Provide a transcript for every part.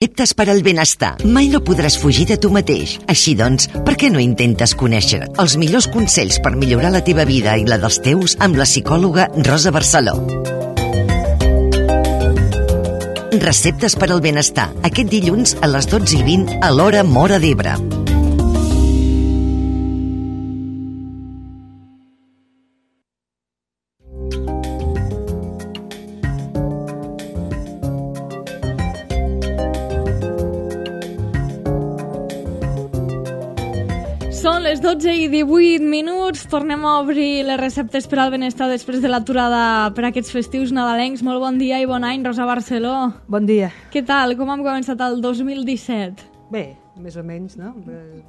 Receptes per al benestar. Mai no podràs fugir de tu mateix. Així doncs, per què no intentes conèixer els millors consells per millorar la teva vida i la dels teus amb la psicòloga Rosa Barceló? Receptes per al benestar. Aquest dilluns a les 12:20 a l'hora Móra d'Ebre. Són les 12:18, tornem a obrir les receptes per al benestar després de l'aturada per aquests festius nadalencs. Molt bon dia i bon any, Rosa Barceló. Bon dia. Què tal? Com hem començat el 2017? Bé, més o menys, no?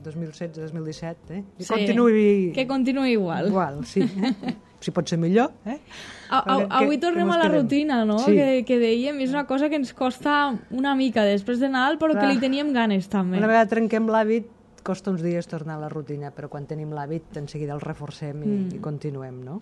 2016-2017, eh? Sí, que continuï igual. Igual, sí. Si pot ser millor, eh? Avui tornem a la rutina, no? Sí. Que dèiem, és una cosa que ens costa una mica després de Nadal, però que li teníem ganes també. Una vegada trenquem l'hàbit, costa uns dies tornar a la rutina, però quan tenim l'hàbit, en seguida el reforcem i continuem, no?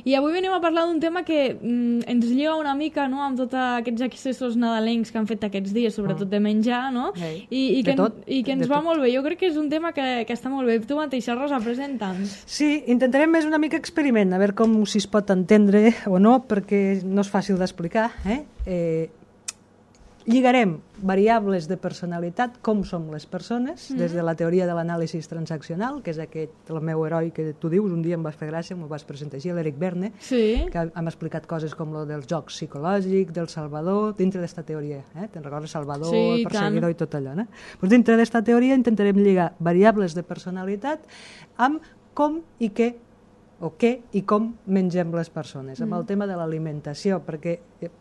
I avui venim a parlar d'un tema que ens lliga una mica, no?, amb tots aquests accessos nadalencs que han fet aquests dies, sobretot de menjar, no? I que ens va molt bé. Jo crec que és un tema que està molt bé. Tu mateixa, Rosa, presenta'ns. Sí, intentarem més una mica experiment, a veure com si es pot entendre o no, perquè no és fàcil d'explicar, lligarem variables de personalitat, com som les persones, des de la teoria de l'anàlisi transaccional, que és el meu heroi que tu dius, un dia em vas fer gràcia, m'ho vas presentar així, l'Eric Berne, que hem explicat coses com lo dels jocs psicològics, del Salvador, dintre d'esta teoria. Te'n recordes Salvador, el perseguidor i tot allò, no? Pues dintre d'esta teoria intentarem lligar variables de personalitat amb com i què o què i com mengem les persones, amb el tema de l'alimentació, perquè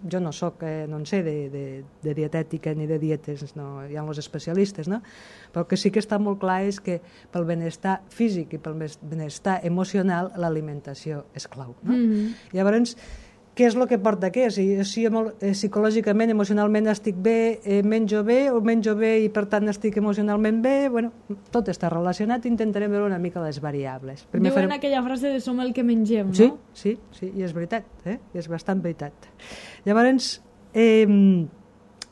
jo no en sé de dietètica ni de dietes, no, hi ha els especialistes, no? Però el que sí que està molt clar és que pel benestar físic i pel benestar emocional l'alimentació és clau, no? Llavors, què és el que porta què? Si psicològicament, emocionalment estic bé, menjo bé i per tant estic emocionalment bé, bueno, tot està relacionat, intentarem veure una mica les variables. Diuen aquella frase de som el que mengem, no? Sí, i és veritat, és bastant veritat. Llavors,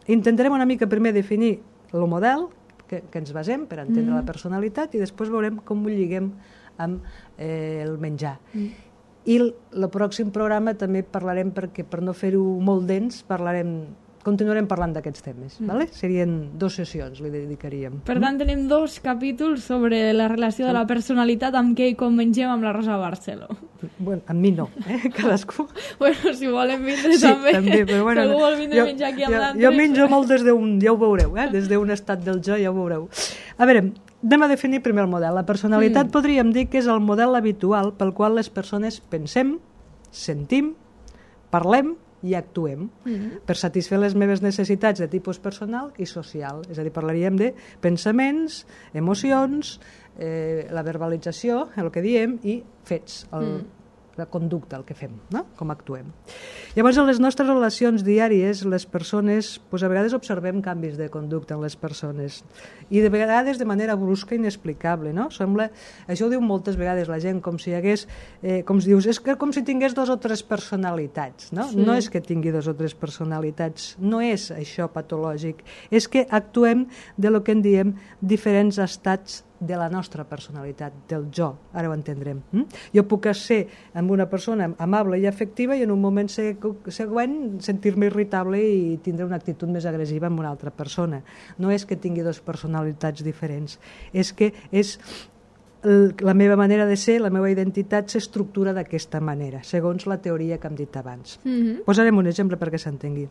intentarem una mica primer definir el model que ens basem per entendre la personalitat i després veurem com ho lliguem amb el menjar. I el pròxim programa també parlarem, perquè per no fer-ho molt dens, continuarem parlant d'aquests temes. Serien 2 sessions, li dedicaríem. Per tant, tenim 2 capítols sobre la relació de la personalitat amb què i com mengem amb la Rosa Barceló. Bueno, amb mi no, cadascú. Bueno, si volen vindre també. També, però bueno, si algú vol vindre a menjar aquí amb l'altre. Jo menjo molt des d'un, ja ho veureu, des d'un estat del jo, ja ho veureu. A veure, anem a definir primer el model. La personalitat podríem dir que és el model habitual pel qual les persones pensem, sentim, parlem i actuem per satisfer les meves necessitats de tipus personal i social. És a dir, parlaríem de pensaments, emocions, la verbalització, el que diem, i fets, la conducta, el que fem, no? Com actuem. Llavors, en les nostres relacions diàries, les persones, a vegades observem canvis de conducta en les persones i de vegades de manera brusca i inexplicable, no? Això ho diu moltes vegades la gent, com si hi hagués, com si dius, és com si tingués 2 o 3 personalitats, no? No és que tingui 2 o 3 personalitats, no és això patològic, és que actuem de lo que en diem diferents estats de la nostra personalitat, del jo, ara ho entendrem. Jo puc ser amb una persona amable i afectiva i en un moment següent sentir-me irritable i tindre una actitud més agressiva amb una altra persona. No és que tingui 2 personalitats diferents, és que és la meva manera de ser, la meva identitat s'estructura d'aquesta manera, segons la teoria que hem dit abans. Posarem un exemple perquè s'entengui.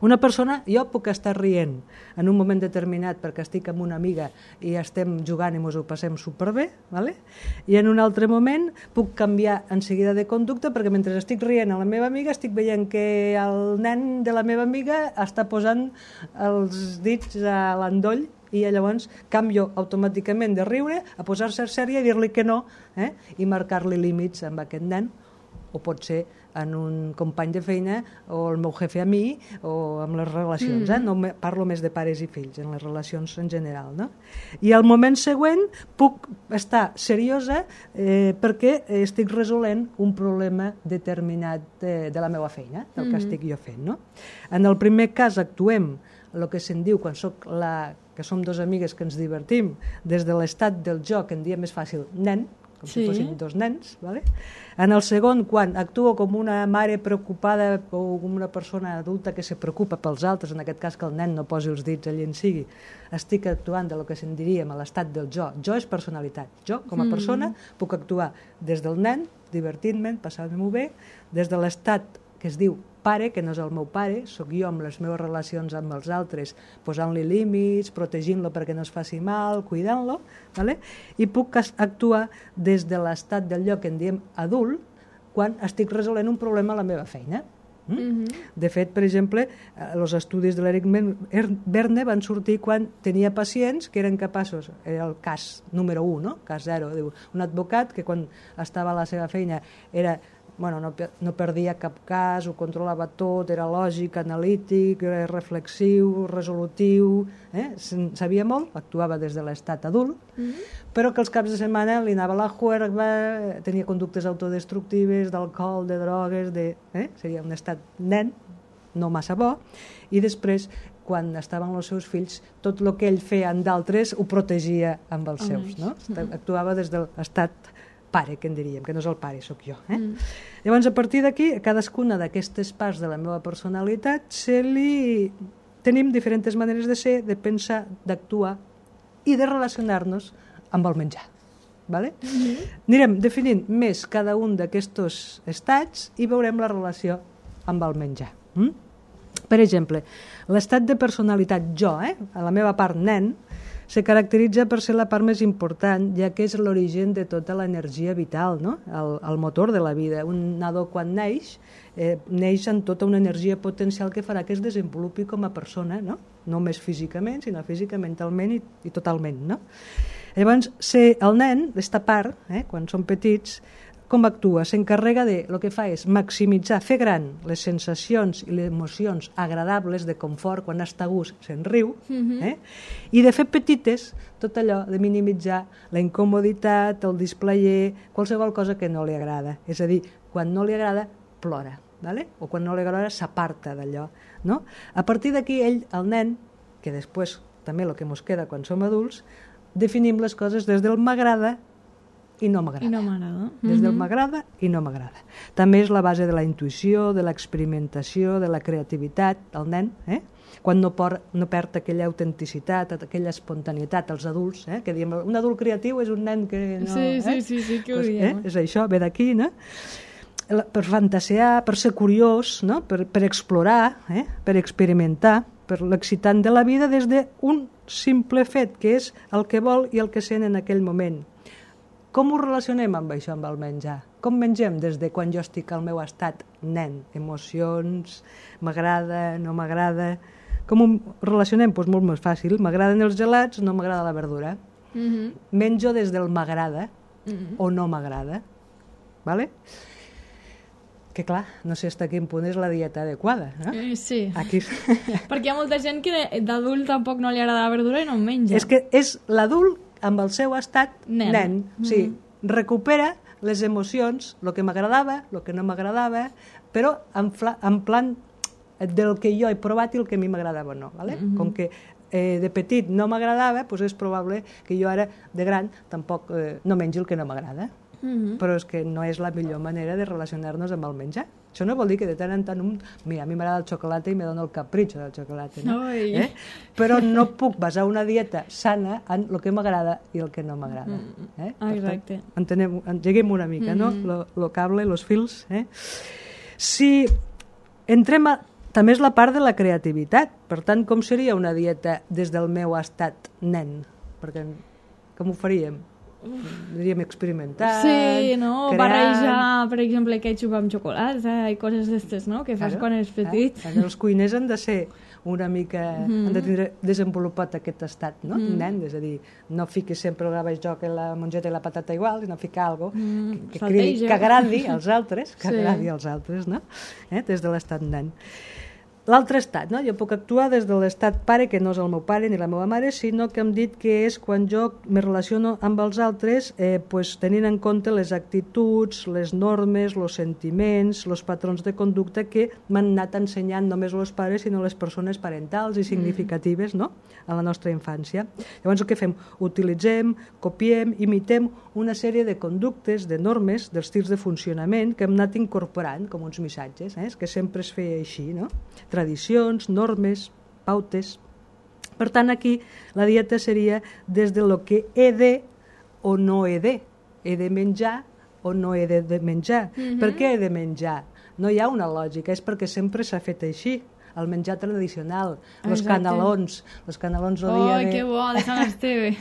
Una persona, jo puc estar rient en un moment determinat perquè estic amb una amiga i estem jugant i ens ho passem superbé, i en un altre moment puc canviar en seguida de conducta perquè mentre estic rient amb la meva amiga estic veient que el nen de la meva amiga està posant els dits a l'endoll i llavors canvio automàticament de riure a posar-se sèria i dir-li que no i marcar-li límits amb aquest nen, o pot ser en un company de feina o el meu jefe a mi o amb les relacions, no parlo més de pares i fills, en les relacions en general, no? I al moment següent puc estar seriosa perquè estic resolent un problema determinat de la meva feina, del que estic jo fent, no? En el primer cas actuem el que se'n diu quan que som dos amigues que ens divertim, des de l'estat del jo, que en diem més fàcil, nen, com si fossin dos nens. ¿Vale? En el segon, quan actuo com una mare preocupada o com una persona adulta que se preocupa pels altres, en aquest cas que el nen no posi els dits allà en sigui, estic actuant de lo que se'n diríem a l'estat del jo. Jo és personalitat. Jo, com a persona, puc actuar des del nen, divertint-me, passant-m'ho bé, des de l'estat que es diu pare, que no és el meu pare, sóc jo amb les meves relacions amb els altres, posant-li límits, protegint-lo perquè no es faci mal, cuidant-lo, ¿vale? I puc actuar des de l'estat del lloc que en diem adult, quan estic resolent un problema a la meva feina. De fet, per exemple, els estudis de l'Eric Berne van sortir quan tenia pacients que eren capaços, era el cas número 1, no? Cas 0, diu, un advocat que quan estava a la seva feina era no perdia cap cas, ho controlava tot, era lògic, analític, era reflexiu, resolutiu, sabia molt, actuava des de l'estat adult, però que els caps de setmana li anava la juerga, tenia conductes autodestructives, d'alcohol, de drogues, seria un estat nen, no massa bo, i després, quan estaven els seus fills, tot el que ell feia amb d'altres ho protegia amb els seus, no? Actuava des de l'estat pare, que en diríem, que no és el pare, sóc jo. Llavors, a partir d'aquí, a cadascuna d'aquestes parts de la meva personalitat tenim diferents maneres de ser, de pensar, d'actuar i de relacionar-nos amb el menjar. Vale? Anirem definint més cada un d'aquests estats i veurem la relació amb el menjar. Per exemple, l'estat de personalitat jo, a la meva part nen, se caracteritza per ser la part més important, ja que és l'origen de tota l'energia vital, no? El motor de la vida. Un nadó quan neix amb tota una energia potencial que farà que es desenvolupi com a persona, no només físicament, sinó física, mentalment i totalment. No? Llavors, el nen, aquesta part, quan són petits, com actua? S'encarrega de, el que fa és maximitzar, fer gran les sensacions i les emocions agradables de confort, quan està a gust se'n riu, i de fer petites tot allò de minimitzar la incomoditat, el displayer, qualsevol cosa que no li agrada. És a dir, quan no li agrada, plora, ¿vale? O quan no li agrada, s'aparta d'allò. No? A partir d'aquí, ell, el nen, que després també el que ens queda quan som adults, definim les coses des del m'agrada i no m'agrada. Des del m'agrada i no m'agrada. També és la base de la intuïció, de l'experimentació, de la creativitat, el nen, quan no perd aquella autenticitat, aquella espontaneïtat, els adults, que diem, un adult creatiu és un nen que no... Sí, que ho diem. És això, ve d'aquí, no? Per fantasejar, per ser curiós, no? Per explorar, per experimentar, per l'excitant de la vida des d'un simple fet, que és el que vol i el que sent en aquell moment. Com ho relacionem amb això, amb el menjar? Com mengem des de quan jo estic al meu estat nen? Emocions, m'agrada, no m'agrada... Com ho relacionem? Doncs molt més fàcil. M'agraden els gelats, no m'agrada la verdura. Menjo des del m'agrada o no m'agrada. Vale? Que clar, no sé fins a quin punt és la dieta adequada. No? Sí. Aquí... Perquè hi ha molta gent que d'adult tampoc no li agrada la verdura i no en menja. És que és l'adult amb el seu estat nen. Sí, recupera les emocions, el que m'agradava, el que no m'agradava, però en plan del que jo he provat i el que a mi m'agradava o no. Vale? Com que de petit no m'agradava, doncs és probable que jo ara, de gran, tampoc no mengi el que no m'agrada. Però és que no és la millor manera de relacionar-nos amb el menjar. Això no vol dir que de tant en tant mira, a mi m'agrada el xocolata i me dona el capritxo del xocolata, no? Però no puc basar una dieta sana en el que m'agrada i el que no m'agrada. Exacte. Engeguem una mica, no? Lo cable, los fils. Si entrem també és la part de la creativitat. Per tant, com seria una dieta des del meu estat nen? Perquè com ho faríem? Diríem experimentar, sí, no? Barrejar, per exemple, ketchup amb xocolata i coses d'estes, no? Que fas quan eres petit. Els cuiners han de ser una mica... han de tindre desenvolupat aquest estat, no? Nen, és a dir, no fiquis sempre el gabajoc i la mongeta i la patata igual, sinó ficar alguna cosa que agradi als altres, no? Des de l'estat nen. l'altre estat, no? Jo puc actuar des de l'estat pare, que no és el meu pare ni la meva mare, sinó que hem dit que és quan jo me relaciono amb els altres pues, tenint en compte les actituds, les normes, els sentiments, els patrons de conducta que m'han anat ensenyant només els pares, sinó les persones parentals i significatives, no? A la nostra infància. Llavors el que fem? Utilitzem, copiem, imitem una sèrie de conductes, de normes, d'estils de funcionament que hem anat incorporant com uns missatges, que sempre es feia així, no? Tradicions, normes, pautes. Per tant, aquí la dieta seria des de lo que he de o no he de. He de menjar o no he de menjar. Per què he de menjar? No hi ha una lògica, és perquè sempre s'ha fet així. El menjar tradicional, els canelons el dia de... Oh, que bo, de Sant Esteve.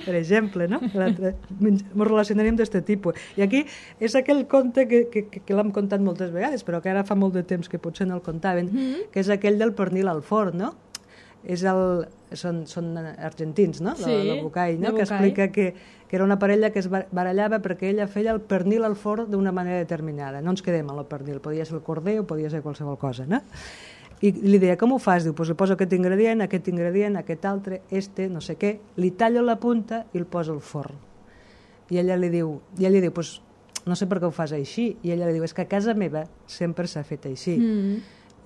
Per exemple, no? Ens relacionaríem d'aquest tipus. I aquí és aquell conte que l'hem contat moltes vegades, però que ara fa molt de temps que potser no el contaven, que és aquell del pernil al forn, no? Són argentins, no? Sí, el Bucay, no? Que explica que era una parella que es barallava perquè ella feia el pernil al forn d'una manera determinada. No ens quedem amb el pernil, podia ser el corder o podia ser qualsevol cosa, no? I li deia, com ho fas? Diu, pues li poso aquest ingredient, aquest altre, no sé què, li tallo la punta i el poso al forn. I ella li diu, pues, no sé per què ho fas així. I ella li diu, és que a casa meva sempre s'ha fet així.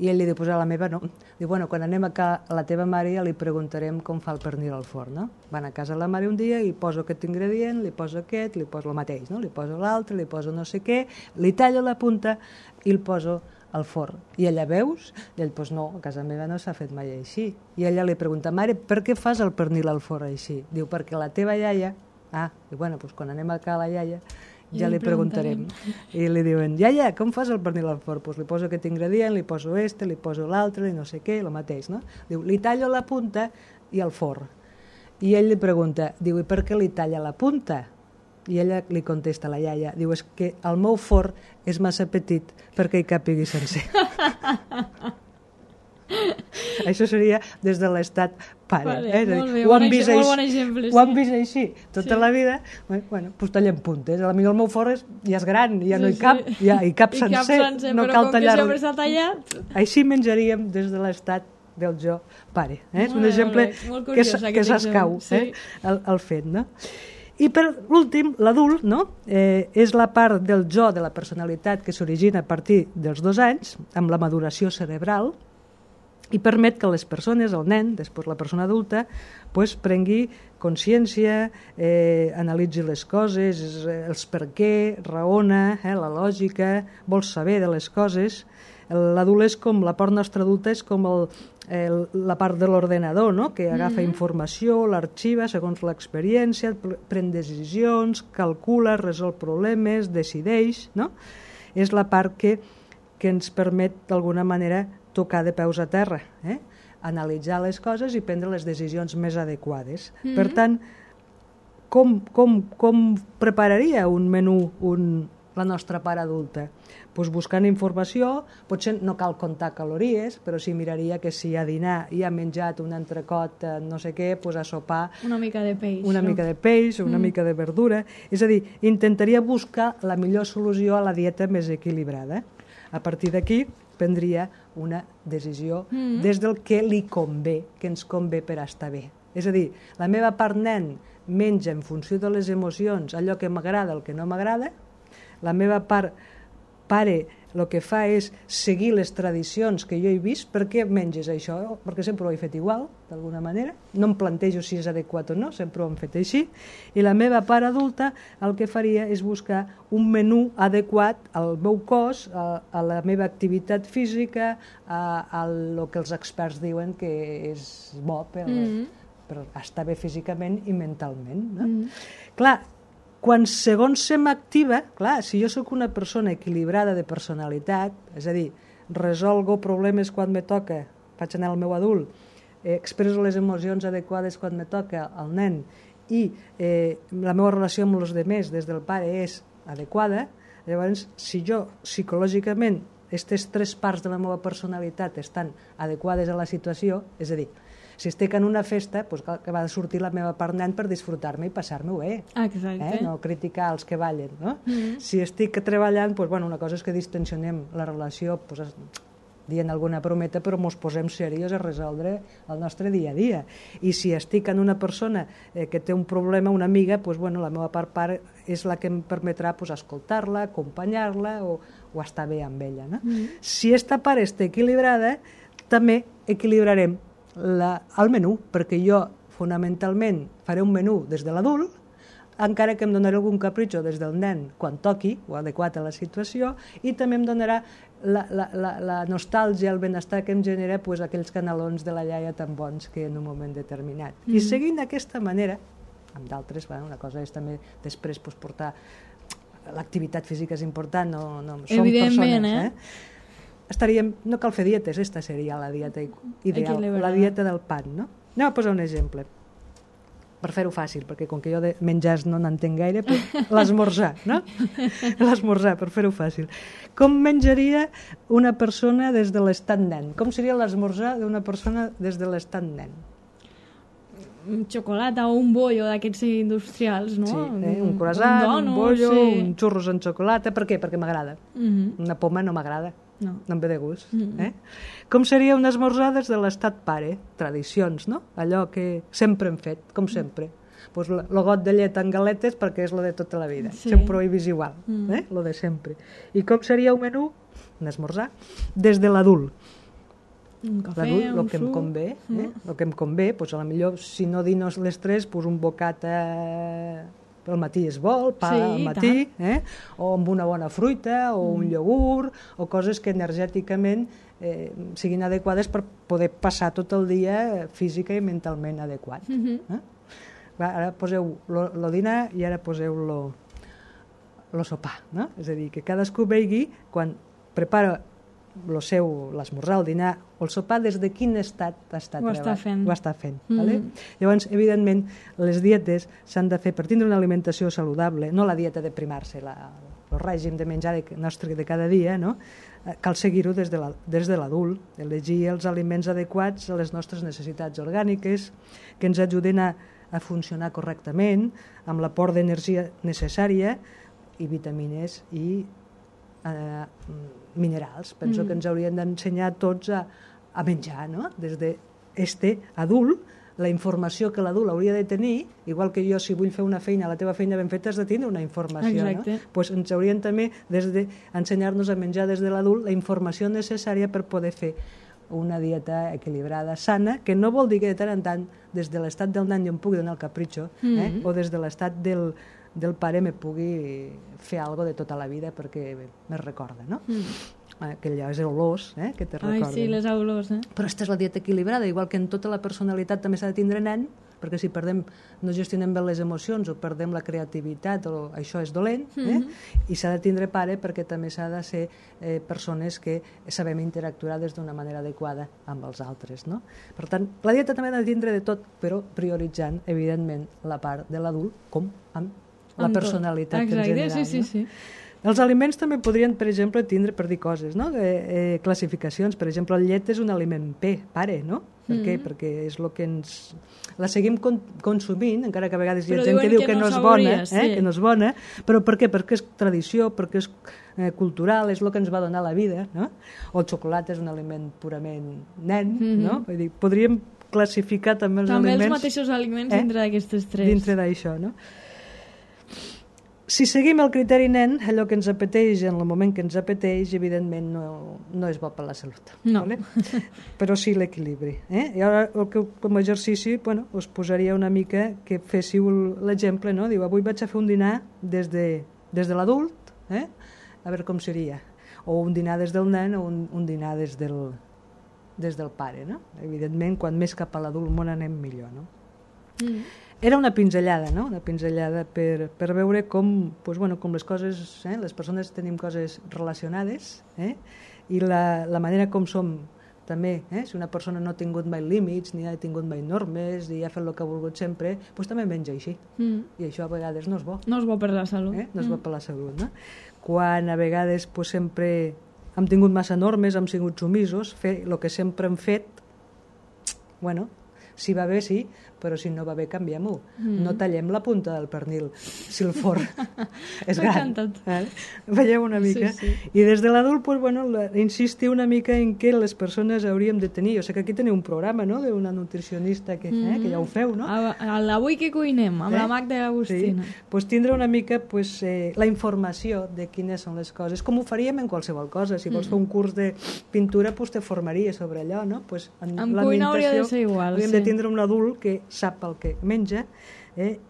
I ell li diu, pues a la meva no. Diu, bueno, quan anem a la teva mare ja li preguntarem com fa el pernil al forn, no? Van a casa la mare un dia i poso aquest ingredient, li poso aquest, li poso el mateix, no? Li poso l'altre, li poso no sé què, li tallo la punta i el poso al forn. I ella, veus? I ell, doncs no, a casa meva no s'ha fet mai així. I ella li pregunta, mare, per què fas el pernil al forn així? Diu, perquè la teva iaia... Diu, bueno, doncs quan anem a la iaia ja li preguntarem. I li diuen, iaia, com fas el pernil al forn? Doncs li poso aquest ingredient, li poso li poso l'altre, i no sé què, el mateix, no? Diu, li tallo la punta i al forn. I ell li pregunta, diu, i per què li talla la punta? I ella li contesta a la iaia, diu, és que el meu forn és massa petit perquè hi càpigui sencer. Això seria des de l'estat pare. Molt bé, molt bon exemple. Ho han vist així tota la vida, bueno, doncs tallem puntes. Potser el meu forn ja és gran, ja no hi cap, ja hi cap sencer, no cal tallar-lo. Però com que sempre s'ha tallat... Així menjaríem des de l'estat del jo pare. És un exemple que s'escau el fet, no? I per últim, l'adult, no? És la part del jo, de la personalitat, que s'origina a partir dels 2 anys, amb la maduració cerebral, i permet que les persones, el nen, després la persona adulta, pues, prengui consciència, analitzi les coses, els per què, raona, la lògica, vol saber de les coses. L'adult és com, la part nostra adulta és com la part de l'ordenador, no? Que agafa informació, l'arxiva segons l'experiència, pren decisions, calcula, resol problemes, decideix, no? És la part que ens permet d'alguna manera tocar de peus a terra, analitzar les coses i prendre les decisions més adequades. Per tant, com prepararia un menú la nostra part adulta? Pues buscant informació, potser no cal comptar calories, però sí miraria que si a dinar i ha menjat un entrecot, no sé què, pues a sopar... Una mica de peix. Una mica de peix, una mica de verdura. És a dir, intentaria buscar la millor solució a la dieta més equilibrada. A partir d'aquí prendria una decisió des del que li convé, que ens convé per estar bé. És a dir, la meva part nen menja en funció de les emocions allò que m'agrada, el que no m'agrada. La meva part pare el que fa és seguir les tradicions que jo he vist. Per què menges això? Perquè sempre ho he fet igual, d'alguna manera. No em plantejo si és adequat o no, sempre ho hem fet així. I la meva part adulta el que faria és buscar un menú adequat al meu cos, a la meva activitat física, a el que els experts diuen que és bo per estar bé físicament i mentalment. No? Clar, quan segons se m'activa, clar, si jo sóc una persona equilibrada de personalitat, és a dir, resolgo problemes quan me toca, faig anar al meu adult, expresso les emocions adequades quan me toca al nen i la meva relació amb els altres des del pare és adequada, llavors si jo psicològicament aquestes 3 parts de la meva personalitat estan adequades a la situació, és a dir, si estic en una festa, doncs que va sortir la meva part nen per disfrutar-me i passar-me-ho bé. Exacte. No criticar els que ballen, no? Si estic treballant, doncs, bueno, una cosa és que distensionem la relació dient alguna brometa, però ens posem serios a resoldre el nostre dia a dia. I si estic en una persona que té un problema, una amiga, doncs, bueno, la meva part és la que em permetrà pues, escoltar-la, acompanyar-la o estar bé amb ella. No? Si esta part està equilibrada, també equilibrarem el menú, perquè jo fonamentalment faré un menú des de l'adult, encara que em donarà algun capritxo des del nen quan toqui, o adequat a la situació, i també em donarà la nostàlgia, el benestar que em genera pues, aquells canelons de la iaia tan bons que en un moment determinat. I seguint d'aquesta manera, amb d'altres, una cosa és també després pues, portar l'activitat física és important, no som persones, estaríem, no cal fer dietes, esta seria la dieta ideal, la dieta del pan, no? Anem a posar un exemple per fer-ho fàcil, perquè com que jo de menjars no n'entenc gaire, l'esmorzar, no? L'esmorzar, per fer-ho fàcil. Com menjaria una persona des de l'estat nen? Com seria l'esmorzar d'una persona des de l'estat nen? Un xocolata o un bollo d'aquests industrials, no? Sí, un croissant, un bollo, un xurros amb xocolata. Per què? Perquè m'agrada. Una poma no m'agrada. No em ve de gust. Com seria un esmorzar des de l'estat pare? Tradicions, no? Allò que sempre hem fet, com sempre. Pues el got de llet en galetes perquè és lo de tota la vida. Sempre ho he vist igual, lo de sempre. I com seria un menú? Un esmorzar des de l'adult. Un cafè, un suc. El que em convé, pues, a la millor, si no dino les 3, pues, un bocata pel matí es vol, pa al matí, o amb una bona fruita, o un iogurt, o coses que energèticament siguin adequades per poder passar tot el dia física i mentalment adequat. Ara poseu el dinar i ara poseu el sopar, no? És a dir, que cadascú vegi quan prepara l'esmorzar, el dinar o el sopar, des de quin estat ho està fent. Llavors, evidentment, les dietes s'han de fer per tindre una alimentació saludable, no la dieta de primar-se, el règim de menjar nostre de cada dia, no? Cal seguir-ho des de l'adult, elegir els aliments adequats a les nostres necessitats orgàniques, que ens ajuden a funcionar correctament, amb l'aport d'energia necessària i vitamines i minerals. Penso que ens haurien d'ensenyar tots a menjar, no? Des d'este adult, la informació que l'adult hauria de tenir, igual que jo, si vull fer una feina, la teva feina ben feta, has de tindre una informació, no? Pues ens haurien també d'ensenyar-nos a menjar des de l'adult la informació necessària per poder fer una dieta equilibrada, sana, que no vol dir que de tant en tant, des de l'estat del nen jo em pugui donar el capritxo, o des de l'estat del pare me pugui fer alguna de tota la vida perquè me recorda, no? Que allò és olors, que te recorden. Ai, sí, les olors, Però aquesta és la dieta equilibrada, igual que en tota la personalitat també s'ha de tindre nen, perquè si no gestionem bé les emocions o perdem la creativitat, això és dolent, i s'ha de tindre pare perquè també s'ha de ser persones que sabem interactuar d'una manera adequada amb els altres, no? Per tant, la dieta també ha de tindre de tot, però prioritzant, evidentment, la part de l'adult com amb la personalitat en general. Sí. Els aliments també podrien, per exemple, tindre, per dir coses, no? Classificacions. Per exemple, el llet és un aliment pare, no? Per què? Perquè és el que ens... La seguim consumint, encara que a vegades hi ha gent que diu que no és bona, que no és bona, però per què? Perquè és tradició, perquè és cultural, és el que ens va donar la vida, no? O el xocolata és un aliment purament nen, no? Vull dir, podríem classificar també els aliments... També els mateixos aliments dintre d'aquestes tres. Dintre d'això, no? Si seguim el criteri nen, allò que ens apeteix en el moment que ens apeteix, evidentment no és bo per la salut. No. Vale? Però sí l'equilibri. I ara, com a exercici, us posaria una mica que féssiu l'exemple, no? Diu, avui vaig a fer un dinar des de l'adult, a veure com seria. O un dinar des del nen o un dinar des del pare, no? Evidentment, quan més cap a l'adult món anem millor, no? Era una pinzellada, no? Una pinzellada per veure com les coses, les persones tenim coses relacionades, i la manera com som també, si una persona no ha tingut mai límits, ni ha tingut mai normes, i ha fet el que ha volgut sempre, doncs també menja així. I això a vegades no és bo. No és bo per la salut. No és bo per la salut, no? Quan a vegades sempre hem tingut massa normes, hem sigut sumisos, fer el que sempre hem fet, Si va bé, sí, però si no va bé, canviem-ho. No tallem la punta del pernil, si el forn és gran. Veieu una mica? Sí. I des de l'adult, pues, bueno, insistir una mica en què les persones hauríem de tenir. O sigui que aquí teniu un programa, no?, d'una nutricionista que ja ho feu, no? L'Avui que cuinem, amb la Magda Agustina. Sí. Pues tindre una mica la informació de quines són les coses, com ho faríem en qualsevol cosa. Si vols fer un curs de pintura, pues te formaries sobre allò, no? Pues en cuina hauria de ser igual. Hauríem de tindre un adult que sap el que menja,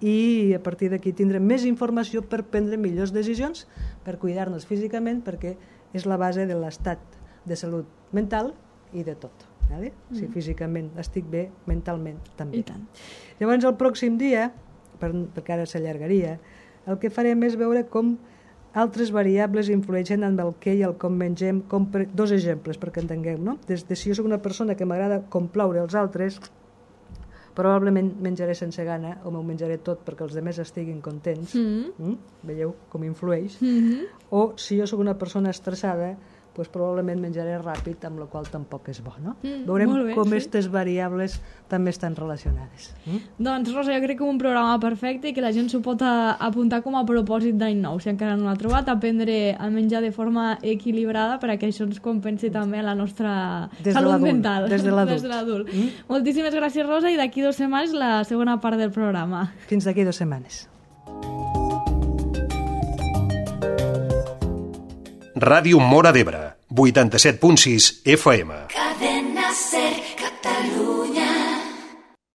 i a partir d'aquí tindrem més informació per prendre millors decisions, per cuidar-nos físicament, perquè és la base de l'estat de salut mental i de tot. Si físicament estic bé, mentalment també. Llavors el pròxim dia, perquè ara s'allargaria, el que farem és veure com altres variables influeixen en el què i el com mengem. Dos exemples perquè entengueu, no? Des de si jo soc una persona que m'agrada complaure els altres, probablement menjaré sense gana o m'ho menjaré tot perquè els altres estiguin contents. Veieu com influeix? O si jo sóc una persona estressada, doncs probablement menjaré ràpid, amb la qual tampoc és bo, no? Veurem com aquestes variables també estan relacionades. Doncs, Rosa, jo crec que un programa perfecte i que la gent s'ho pot apuntar com a propòsit d'any nou, si encara no l'ha trobat, aprendre a menjar de forma equilibrada perquè això ens compensi també la nostra salut mental. Des de l'adult. Moltíssimes gràcies, Rosa, i d'aquí 2 setmanes la segona part del programa. Fins d'aquí 2 setmanes. Ràdio Móra d'Ebre, 87.6 FM. Cadena Ser.